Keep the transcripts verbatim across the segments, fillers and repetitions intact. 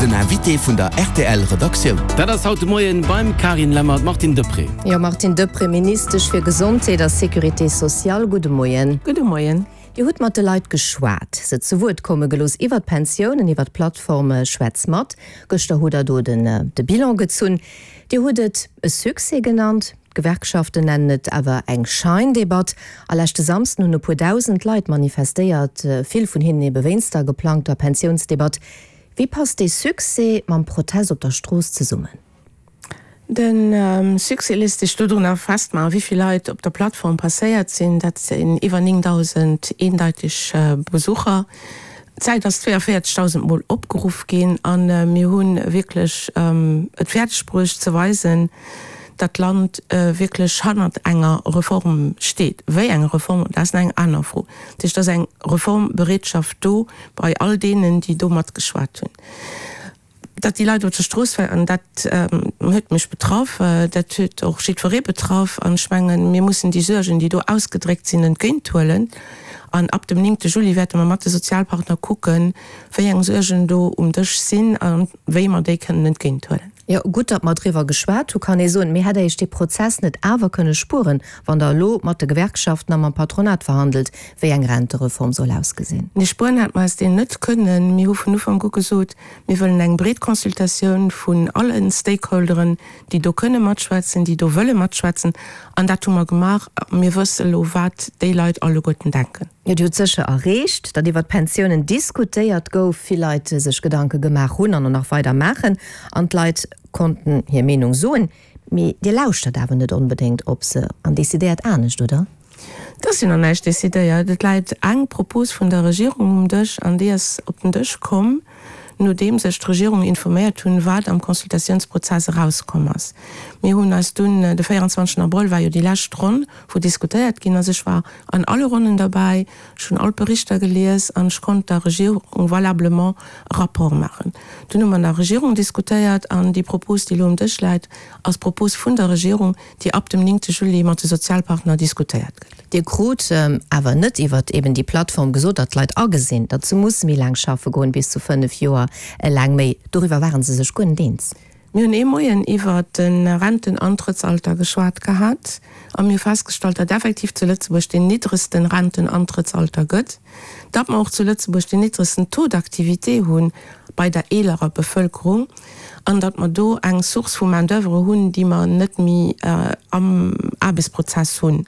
Den Invité vun der rtl Redaktioun. Dat ass haut de Moien beim Carine Lemmer d'Martine Deprez. Jo, Martine Deprez, Ministesch fir Gesondheet a Sécurité sociale, gudde Moien. Gudde Moien. Dir hutt mat de Leit geschwat, se zu Wuert komme gelooss iwwer d'Pensiounen, iwwer d'Plattform Schwätz mat. Gëschter hutt Der do den de Bilan gezunn. Dir hutt et e Succès genannt, d'Gewerkschaften nennen et awer eng Scheindebatt. A leschte Samsden hunn e puer dausend Leit manifestéiert, vill vun hinnen ebe wéinst der geplangter Pensiounsdebatt. Wéi passt dee Succès mam Protest op der Strooss zesummen? De Succès léisst sech dodrunner festmaachen, wéi vill Leit op der Plattform passéiert sinn. Dat sinn iwwer néngdausend eendeiteg Besucher. D'Säit ass zweeënvéierzegdausend Mol opgeruff ginn a mir hu wierklech et fäerdeg bruecht ze weisen, datt d'Land wierklech hannert enger Reform steet. Wéi eng Reform, dat ass nach eng aner Fro. Dat heescht, et ass eng Reformbereetschaft do bei all deenen, déi do matgeschwat hunn. Datt déi Leit op der Strooss waren, dat huet mech betraff, dat huet och jiddweree betraff. An ech mengen, mir mussen déi Suergen, déi do ausgedréckt sinn, entgéinthuelen. An ab dem néngte Juli wäerte mer mat de Sozialpartner kucken, wéi eng Suergen do um Dësch sinn a wéi mer déi kënnen entgéinthuelen. Jo, gutt, datt mer driwwer geschwat hu, kann ee soen. Mee hätt Der Iech dee Prozess net awer kënne spueren, wann Der elo mat de Gewerkschaften a mam Patronat verhandelt, wéi eng Rentereform soll ausgesinn? Nee, spueren hätte mer eis deen net kënnen. Mir hu vun Ufank u gesot, mir wëllen eng breet Consultatioun vun alle Stakeholderen, déi do kënne matschwätzen, déi do wëlle matschwätzen. An dat hu mer gemaach. Mir wësse elo, wat déi Leit alleguerten denken. Jo, Dir hutt sécher erreecht, datt iwwer d'Pensiounen diskutéiert gouf, vill Leit sech Gedanke gemaach hunn an och nach weider maachen an d'Leit konnten hir Meenung soen. Mee Dir lauschtert awer net onbedéngt op se an decidéiert anescht, oder? Et ass jo nach näischt decidéiert. Et läit eng Propos vun der Regierung um Dësch an déi ass op den Dësch komm, nodeems ech d'Regierung informéiert hunn, wat am Consultatiounsprozess erauskomm ass. Mir hunn eis dunn, de véierundzwanzegsten Abrëll war jo déi lescht Ronn, wou diskutéiert ginn ass, ech war an alle Ronnen derbäi, ech hunn all d'Berichter gelies an ech konnt der Regierung valablement e Rapport maachen. Dunn hu mer an der Regierung diskutéiert an déi Propos, déi elo um Dësch läit, ass d'Propos vun der Regierung, déi ab dem néngte Juli mat de Sozialpartner diskutéiert gëtt. Dir krut awer net iwwert eben déi Plattform gesot, datt d'Leit agesinn, datt se musse méi laang schaffe goen, bis zu fënnef Joer laang méi. Doriwwer ware se sech guer net eens. Mir hunn ee Moien iwwert de Rentenantrëttsalter geschwat gehat a mir hu festgestallt, datt effektiv zu Lëtzebuerg deen niddregste Rentenantrëttsalter gëtt, datt mer och zu Lëtzebuerg deen niddregsten Taux d'activité hu bei der eelerer Bevëlkerung an datt mer do eng Source vu Main d'oeuvre hunn, déi mer net méi am Aarbechtsprozess hunn.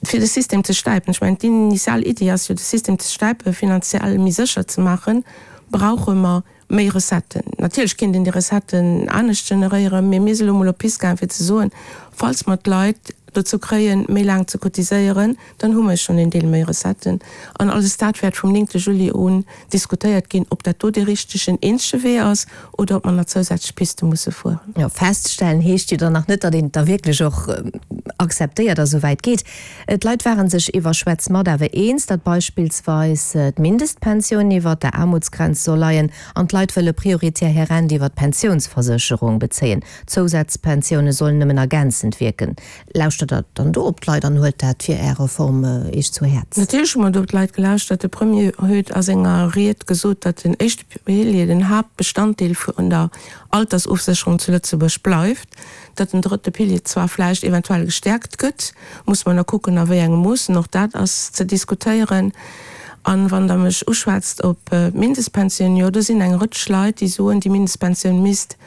Fir de System ze stäipen, ech mengen, d'initial Iddi ass jo, de System ze stäipen, finanziell méi sécher ze maachen, brauche mer méi Recetten. Natierlech kéint een déi Recetten anescht generéieren, mee mir si lo mol op d'Pist gaangen, fir ze soen, falls mer d'Leit dozou kréien, méi laang ze cotiséieren, dann hu mer schonn een Deel méi Recetten. An alles dat wäert vum néngte Juli un diskutéiert ginn, ob dat do dee richtegen, eenzege Wee ass oder ob mer nach zousätzlech Piste musse fueren. Jo, feststellen heescht jo dann nach net, datt een et da wierklech och akzeptéiert a sou wäit geet. D'Leit ware sech iwwer Schwätz mat awer eens, datt beispillsweis d'Mindestpensioun iwwer der Aarmutsgrenz soll leien an d'Leit wëlle prioritär hir Rent iwwer d'Pensiounsversécherung bezéien. D'Zousazpensioune sollen nëmmen ergänzend wierken. Lauschtert Der dann do op d'Leit an huelt dat fir Är Reform Iech zu Häerz? Natierlech hu mer do op d'Leit gelauschtert. De Premier huet a senger Ried gesot, datt den éischte Pilier den Haaptbestanddeel vun der Altersofsécherung zu Lëtzebuerg bleift, datt den drëtte Pilier zwar vläicht eventuell gestäerkt gëtt, muss mer nach kucken a wéi engem Moossen, och dat ass ze diskutéieren. An wann Der mech uschwätzt op d'Mindestpensioun, jo, do sinn eng Rëtsch Leit, déi soen, déi Mindestpensioun misst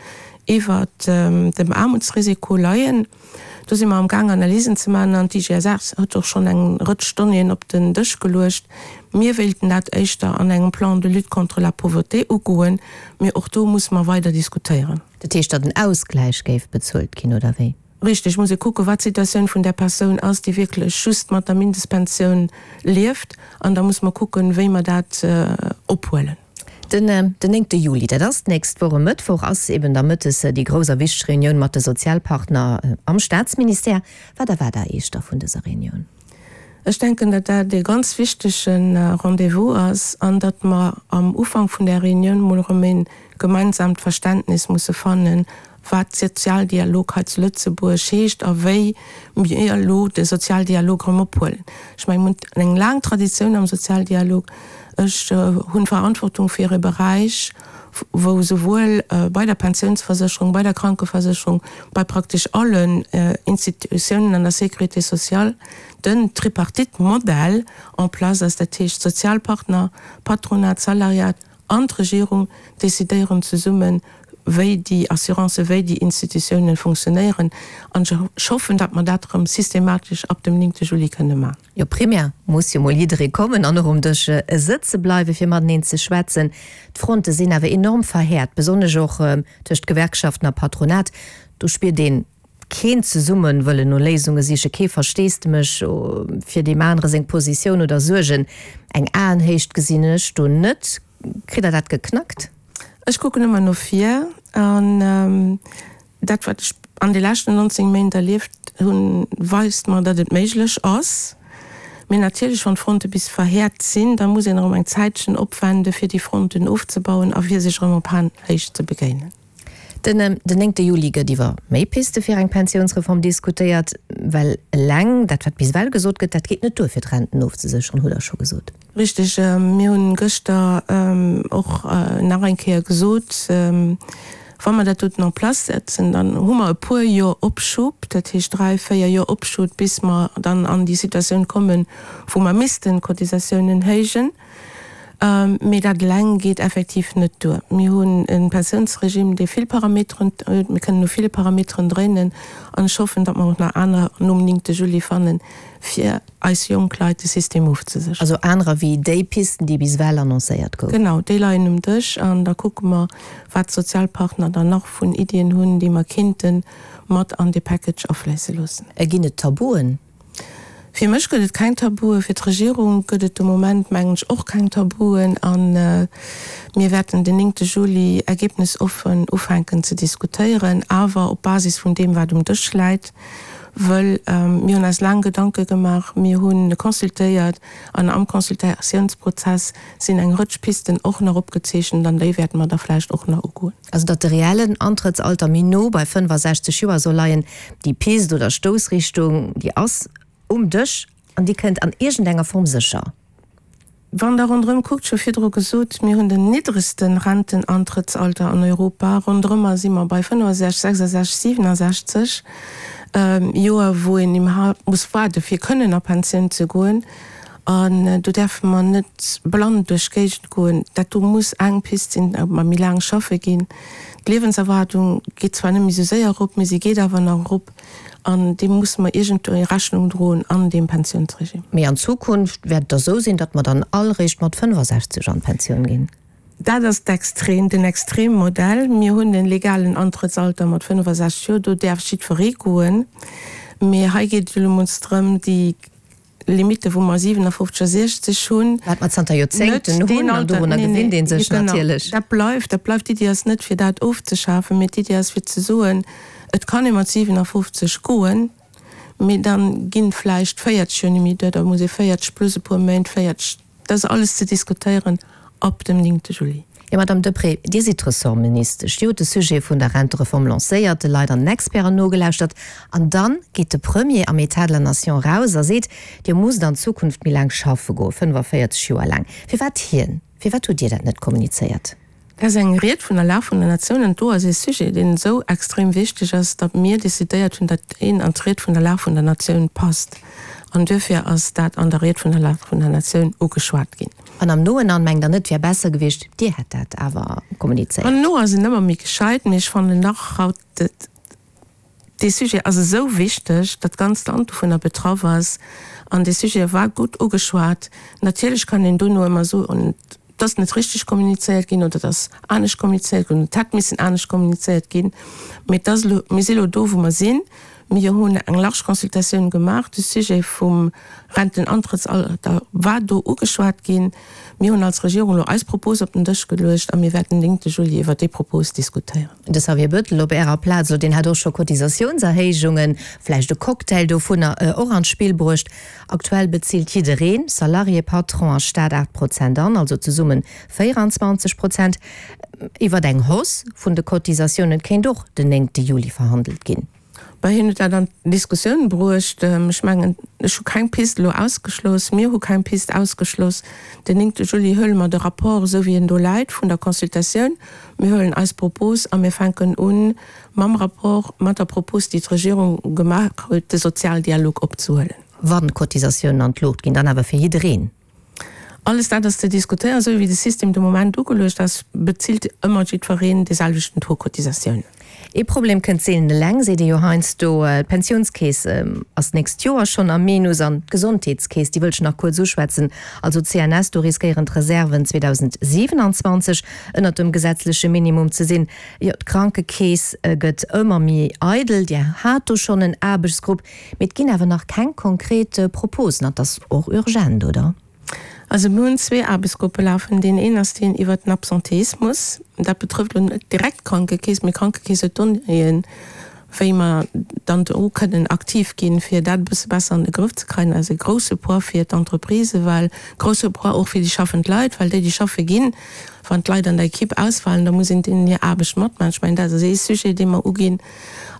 iwwert dem Aarmutsrisiko leien. Do si mer am Gaang Analysen ze maachen an d'IGSS huet och schonn eng Rëtsch Donnéeën op den Dësch geluecht. Mir wéilten dat éischter an engem Plan de lutte contre la pauvreté ugoen, mee och do musse mer weider diskutéieren. Dat heescht, datt en Ausgläich géif bezuelt ginn, oder wéi? Richteg, muss ee kucken, wat d'Situatioun vun där Persoun ass, déi wierklech just mat der Mindestpensioun lieft. An da musse mer kucken, wéi mer dat ophuelen. Den néngte Juli, dat ass d'nächst Woch e Mëttwoch, ass eben da mëttes déi grouss a wichteg Reunioun mat de Sozialpartner am Staatsministère. Wat erwaart Der Iech da vun dëser Reunioun? Ech denken, datt dat ee ganz wichtege Rendez-vous ass an datt mer am Ufank vun där Reunioun mol erëm e gemeinsamt Verständnis musse fannen, wat Sozialdialog hei zu Lëtzebuerg heescht a wéi mir elo de Sozialdialog erëm ophuelen. Ech mengen, mir hunn eng laang Traditioun am Sozialdialog. Ech hunn Verantwortung fir e Beräich, wou souwuel bei der Pensiounsversécherung, bei der Krankeversécherung, bei praktesch allen Institutiounen an der Sécurité sociale den Tripartite-Modell en place ass, dat heescht d'Sozialpartner, Patronat, Salariat an d'Regierung decidéieren zesummen, wéi déi Assurancen, wéi déi Institutiounen funktionéieren. An ech hoffen, datt mer dat erëm systematesch ab dem néngte Juli kënne maachen. Jo, primär muss jo mol jidderee kommen an och um Dësch sëtze bleiwen, fir mateneen ze schwätzen. D'Fronte sinn awer enorm verhäert, besonnesch och tëscht Gewerkschaften a Patronat. Do spiert een keen zesumme wëllen no Léisunge sichen, kee Versteesdemech fir deem anere seng Positioun oder Suergen. Eng Aenhéicht gesinn ech do net. Kritt Der dat geknackt? Ech kucken ëmmer no vir an dat, wat ech an de leschten nonzéng Méint erlieft hunn, weist mer, datt et méiglech ass. Mee natierlech, wann d'Fronte bis verhäert sinn, da muss een erëm eng Zäitchen opwende fir déi Fronten ofzebauen a fir sech erëm op Aenhéicht ze begéinen. Den néngte Juli gëtt iwwer méi Piste fir eng Pensiounsreform diskutéiert, well eleng dat, wat bis ewell gesot gëtt, dat geet net duer, fir d'Renten ofzesécheren, hutt Der scho gesot. Richteg. Mir hunn gëschter och nach eng Kéier gesot, wa mer dat doten en place setzen, dann hu mer e puer Joer Opschub, dat heescht dräi, véier Joer Opschub, bis mer dann an déi Situatioun kommen, wou mer missten d'Cotisatiounen héijen. Mee dat eleng geet effektiv net duer. Mir hunn e Pensiounsregime, dee vill Parameteren huet. Mir kënnen u ville Parameteren dréinen. An ech hoffen, datt mer och nach anerer nom néngte Juli fannen, fir eis jonk Leit de System ofzesécheren. Also anerer wéi déi Pisten, déi bis ewell annoncéiert goufen? Genau, déi leien um Dësch. An da kucke mer, wat d'Sozialpartner dann nach vun Iddien hunn, déi mer kéinte mat an dee Package afléisse loossen. Ginn et Tabuen? Fir mech gëtt et keng Tabuen, fir d'Regierung gëtt et de Moment, mengen ech, och keng Tabuen. A mir wäerten den néngte Juli ergebnisoffen ufänken ze diskutéieren, awer op Basis vun deem, wat um Dësch läit, wëll mir hunn eis laang Gedanke gemaach, mir hu consultéiert an am Consultatiounsprozess sinn eng Rëtsch Pisten och nach opgezeechent an déi wäerte mer da vläicht och nach ugoen. Also datt de reellen Antrëttsalter méi no bei fënnfasechzeg Joer soll leien, déi Pist oder Stoussrichtung, déi ass um Dësch an déi kënnt an iergendenger Form sécher. Wann Der ronderëm kuckt, ech hu virdru gesot, mir hunn den niddregste Rentenantrëttsalter an Europa, ronderëmmer si mer bei fënnefasechzeg, sechsasechzeg, siwenasechzeg Joer, wou een iwwerhaapt muss waarde fir kënnen a Pensioun ze goen. An do däerfe mer net blann duerch d'Géigend goen. Dat do muss eng Pist sinn, datt mer méi laang schaffe ginn. D'Liewenserwaardung geet zwar net méi esou séier erop, mee si geet awer nach erop. An deem musse mer iergendwéi Rechnung droen an deem Pensiounsregime. Mee an Zukunft wäert et da sou sinn, datt mer dann all réischt mat fënnfasechzeg an d'Pensioun ginn? Dat ass d'Extrem, den Extremmodell. Mir hunn de legalen Antrëttsalter mat fënnfasechzeg Joer, do däerf jiddweree goen. Mee hei geet et elo emol drëm, déi Limite wou mer siwenafofzeg a siechzeg hunn. Wat mer zanter Joerzéngten hunn, an dorunner gewinnt ee sech natierlech. Dat bleift, dat bleift. D'Iddi ass net fir dat ofzeschafen, mee d'Iddi ass fir ze soen, et kann ee mat siwenafofzeg goen, mee da ginn vläicht véierzeg Joer net méi duer, da muss ee véierzeg plus e puer Méint, véierzeg, dat ass alles ze diskutéieren ab dem néngte Juli. Jo, Madame Deprez, Dir sidd Ressortministesch. Dir hutt de Sujet vun der Rentereform lancéiert, de Leit an den Experten nogelauschtert. An dann geet de Premier am État de la Nation raus a seet, Dir musst an Zukunft méi laang schaffe goen, fënnefaféierzeg Joer laang. Firwat hien? Firwat hutt Dir dat net kommunizéiert? Dat ass eng Ried vun der Lag vun der Natioun an do ass ee Sujet, deen esou extrem wichteg ass, datt mir decidéiert hunn, datt een an d'Ried vun der Lag vun der Natioun passt. An duerfir ass dat an der Ried vun der Lag vun der Natioun ugeschwat ginn. An am Nohinein mengt Der net, et wär besser gewiescht, Dir hätt dat awer kommunizéiert? Am No ass een ëmmer méi gescheit, mee ech fannen nach haut, dee Sujet ass esou wichteg, datt d'ganzt Land dovunner betraff ass. An dee Sujet war gutt ugeschwat. Natierlech kann een dono ëmmer soen, et ass net richteg kommunizéiert ginn oder et ass anescht kommunizéiert ginn oder et hätt missen anescht kommunizéiert ginn. Mee et ass elo, mir si elo do, wou mer sinn. Mir hunn eng large Consultatioun gemaach. De Sujet vum Rentenantrëttsalter war do ugeschwat ginn. Mir hunn als Regierung elo eis Propos op den Dësch geluecht a mir wäerten den néngte Juli iwwert déi Propos diskutéieren. De Xavier Bettel op Ärer Plaz elo, deen hat och scho Cotisatiounserhéijungen, vläicht e Cocktail dovunner, och an d'Spill bruecht. Aktuell bezilt jiddereen, Salarié, Patron a Staat, aacht Prozent an, also zesumme véieranzwanzeg Prozent. Iwwert eng Hausse vun de Cotisatiounen kéint och den néngte Juli verhandelt ginn. Bei hien huet dat an d'Diskussioun bruecht. Ech mengen, ech hu keng Pist elo ausgeschloss, mir hu keng Pist ausgeschloss. Den néngte Juli huele mer de Rapport, esou wéi en do läit, vun der Consultatioun. Mir huelen eis Propos a mir fänken u mam Rapport, mat der Propos, déi d'Regierung gemaach huet, de Sozialdialog opzehuelen. Wann d'Cotisatiounen an d'Luucht ginn, dann awer fir jiddereen. Alles dat ass ze diskutéieren. Esou wéi de System de Moment ugeluecht ass, bezilt ëmmer jiddwereen dee selwechten Taux Cotisatiounen. Ee Problem kënnt seelen eleng, seet ee jo heiansdo. D'Pensiounskeess ass d'nächst Joer schonn am Minus an d'Gesondheetskeess, déi wëll ech nach kuerz uschwätzen, also d'CNS, do riskéieren d'Reserven zweedausendsiwenanzwanzeg ënnert dem gesetzleche Minimum ze sinn. Jo, d'Krankekeess gëtt ëmmer méi eidel. Dir hat do schonn en Aarbechtsgrupp, mee et ginn awer nach keng konkret Proposen an 't ass och urgent, oder? Also mir hunn zwee Aarbechtsgruppe lafen. Deen een ass deen iwwert den Absenteismus. Dat betrëfft elo net direkt d'Krankekeess, mee d'Krankekeess huet Donnéeën, wéi mer dann do kënnen aktiv ginn, fir dat e bësse besser an de Grëff ze kréien. Dat ass e grousse Poids fir d'Entreprisen, well grousse Poids och fir déi schaffend Leit, well déi, déi schaffe ginn, wann d'Leit an der Equipe ausfalen, da muss een deenen hir Aarbecht matmaachen. Ech mengen, dat ass ee Sujet, dee mer uginn.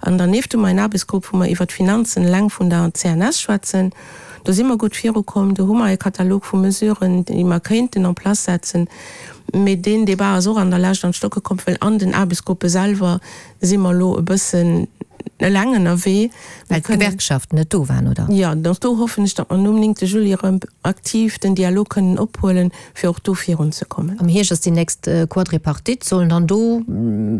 An dernieft hu mer en Aarbechtsgrupp, wou mer iwwert d'Finanzen eleng vun der C N S schwätzen. Do si mer gutt virukomm. Do hu mer e Katalog vu Mesuren, déi mer kéinten en place setzen. Mee deen Débat ass och an der Lescht an d'Stocke komm, well an den Aarbechtsgruppe selwer si mer elo e bëssen eleng ënnerwee. Well d'Gewerkschaften net do waren, oder? Jo, och do hoffen ech, datt mer nom néngte Juli erëm aktiv den Dialog kënnen ophuelen, fir och do virunzekommen. Am Hierscht ass déi nächst Quadripartite. Sollen dann do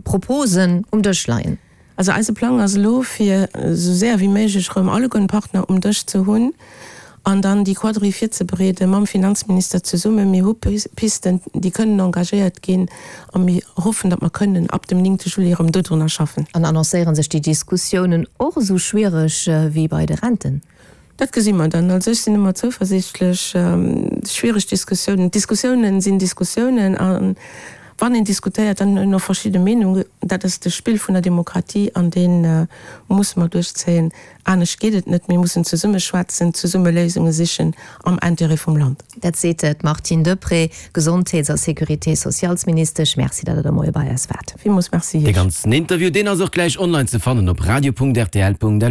Proposen um Dësch leien? Also eise Plang ass elo, fir esou séier wéi méiglech erëm alleguerten d'Partner um Dësch ze hunn an dann déi Quadri virzebereede mam Finanzminister zesummen. Mir hu Pisten, déi kënnen engagéiert ginn a mir hoffen, datt mer kënnen ab dem néngte Juli erëm dodrunner schaffen. An annoncéiere sech déi Diskussiounen och esou schwiereg wéi bei de Renten? Dat gesi mer dann. Also ech sinn ëmmer zouversiichtlech. Schwiereg Diskussiounen, Diskussiounen sinn Diskussiounen a wann een diskutéiert, dann hunn och verschidde Meenungen. Dat ass de Spill vun der Demokratie an dee musse mer duerchzéien. Anescht geet et net. Mir mussen zesumme schwätzen, zesumme Léisunge sichen am Intérêt vum Land. Dat seet d'Martine Deprez, Gesondheets a Sécurité-sociales-Ministesch. Merci, datt Der de Moie bei eis waart. Villmools Merci Dee Iech. ganzen Interview, deen ass och gläich online ze fannen op radio punkt rtl punkt lu.